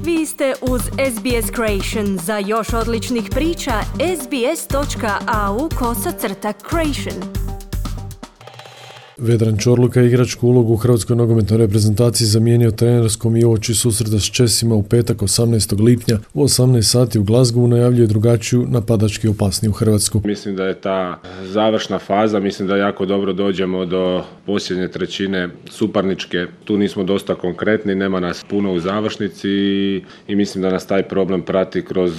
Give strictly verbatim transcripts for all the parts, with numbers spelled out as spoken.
Vi ste uz S B S Creation. Za još odličnih priča, sbs.au kosacrta creation. Vedran Čorluka igračku ulogu u hrvatskoj nogometnoj reprezentaciji zamijenio trenerskom i uoči susreta s Česima u petak osamnaestog lipnja u osamnaest sati u Glasgowu najavljuje drugačiju, napadački opasniju Hrvatsku. Mislim da je ta završna faza, mislim da jako dobro dođemo do posljednje trećine suparničke. Tu nismo dosta konkretni, nema nas puno u završnici i, i mislim da nas taj problem prati kroz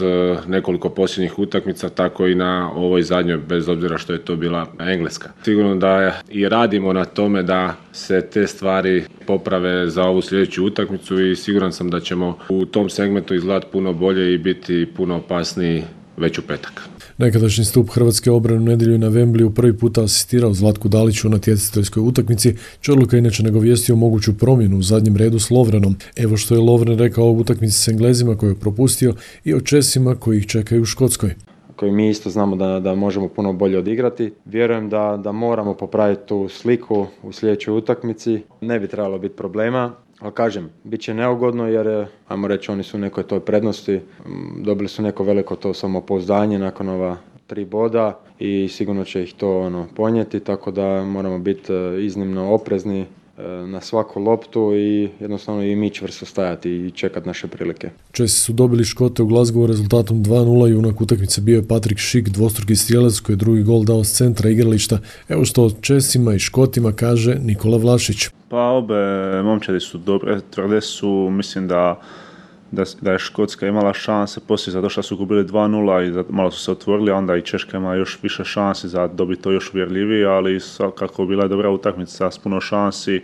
nekoliko posljednjih utakmica, tako i na ovoj zadnjoj, bez obzira što je to bila Engleska. Sigurno da i radimo na tome da se te stvari poprave za ovu sljedeću utakmicu i siguran sam da ćemo u tom segmentu izgledati puno bolje i biti puno opasniji već u petak. Nekadašnji stup hrvatske obrane u nedjelju na Wembleyu prvi puta asistirao Zlatku Daliću na natjecateljskoj utakmici. Čorluka inače nagovijestio moguću promjenu u zadnjem redu s Lovrenom. Evo što je Lovren rekao o utakmici s Englezima koju je propustio i o Česima koji ih čekaju u Škotskoj. Koji mi isto znamo da, da možemo puno bolje odigrati. Vjerujem da, da moramo popraviti tu sliku u sljedećoj utakmici. Ne bi trebalo biti problema, ali kažem, bit će neugodno jer, ajmo reći, oni su u nekoj toj prednosti. Dobili su neko veliko to samopouzdanje nakon ova tri boda i sigurno će ih to ono, ponijeti, tako da moramo biti iznimno oprezni na svaku loptu i jednostavno i mi čvrsto stajati i čekati naše prilike. Česi su dobili Škote u Glasgowu rezultatom dva nula, junak utakmice bio je Patrick Schick, dvostruki strijelac koji je drugi gol dao s centra igrališta. Evo što o Česima i Škotima kaže Nikola Vlašić. Pa obe momčadi su dobre, tvrde su, mislim da Da, da je Škotska imala šanse poslije zato što su gubili dva nula i malo su se otvorili, onda i Češka ima još više šansi za dobiti to još uvjerljivije, ali kako bila je dobra utakmica s puno šansi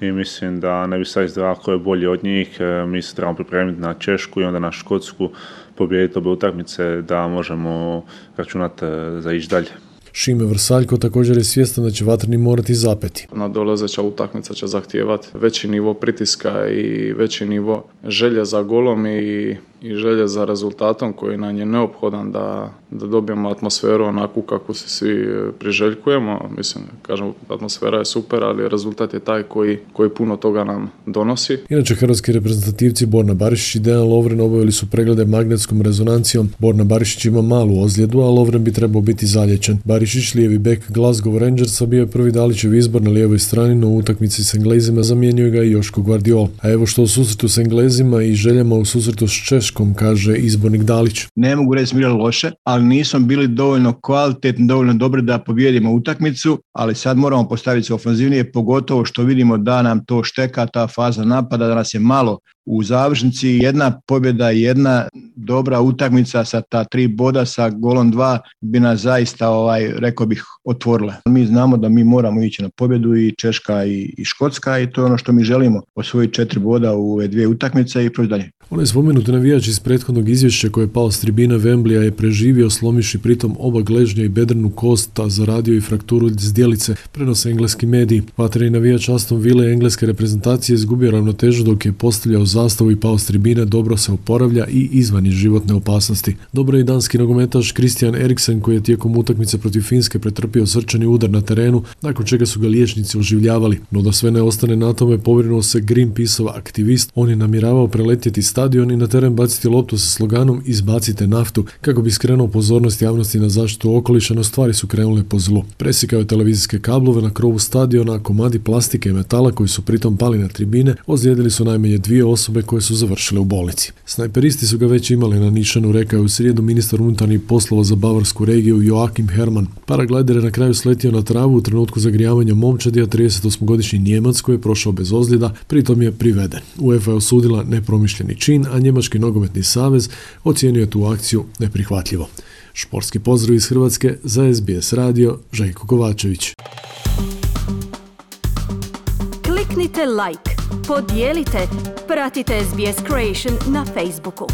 i mislim da ne bi sad izdravao ko je bolji od njih. Mi se trebamo pripremiti na Češku i onda na Škotsku, pobijediti obe utakmice da možemo računati za ići dalje. Šime Vrsaljko također je svjestan da će Vatreni morati zapeti. Nadolazeća utakmica će zahtijevati veći nivo pritiska i veći nivo želje za golom i, i želje za rezultatom koji nam je neophodan da, da dobijemo atmosferu onakvu kako se svi priželjkujemo. Mislim, kažem, atmosfera je super, ali rezultat je taj koji, koji puno toga nam donosi. Inače, hrvatski reprezentativci Borna Barišić i Dejan Lovren obavili su preglede magnetskom rezonancijom. Borna Barišić ima malu ozljedu, a Lovren bi trebao biti zalječen. Barišić, lijevi bek Glasgow Rangersa, bio je prvi Dalićev izbor na lijevoj strani, no u utakmici s Englezima zamijenio ga i Joško Gvardiol. A evo što u susretu s Englezima i željama u susretu s Češkom kaže izbornik Dalić. Ne mogu reći smo igrali loše, ali nismo bili dovoljno kvalitetni, dovoljno dobri da pobijedimo utakmicu, ali sad moramo postaviti se ofanzivnije, pogotovo što vidimo da nam to šteka, ta faza napada, da nas je malo u završnici. Jedna pobjeda, jedna dobra utakmica sa ta tri boda, sa golom dva bi nas zaista, ovaj, rekao bih, otvorila. Mi znamo da mi moramo ići na pobjedu i Češka i, i Škotska i to je ono što mi želimo, osvojiti četiri boda u ove dvije utakmice i proći dalje. Onaj spomenuti navijač iz prethodnog izvješća koji je pao s tribina Wembleya je preživio slomivši pritom oba gležnja i bedrenu kost, a zaradio i frakturu zdjelice, prenose engleski mediji. Vatreni navijač Aston Ville engleske reprezentacije izgubio ravnotežu dok je postavljao zastavu i pao s tribine, dobro se oporavlja i izvan iz životne opasnosti. Dobro je i danski nogometaš Christian Eriksen koji je tijekom utakmice protiv Finske pretrpio srčani udar na terenu, nakon čega su ga liječnici oživljavali. No da sve ne ostane na tome, pobrinuo se Greenpeaceov aktivist. On je namjeravao preletjeti stadion i na teren baciti loptu sa sloganom "Izbacite naftu" kako bi skrenuo pozornost javnosti na zaštitu okoliša, no stvari su krenule po zlu. Presjekao je televizijske kablove na krovu stadiona, a komadi plastike i metala koji su pritom pali na tribine ozlijedili su najmanje dvije osobe koje su završile u bolnici. Snajperisti su ga već imali na nišanu, rekao je u srijedu ministar unutarnjih poslova za bavarsku regiju Joachim Herrmann. Paraglider je na kraju sletio na travu u trenutku zagrijavanja momčadi, a tridesetosmogodišnji Nijemac koji je prošao bez ozljeda, pritom je priveden. UEFA je osudila nepromišljeni čin, a Njemački nogometni savez ocijenio je tu akciju neprihvatljivo. Športski pozdrav iz Hrvatske za S B S radio, Željko Kovačević. Kliknite like, podijelite, pratite S B S Creation na Facebooku.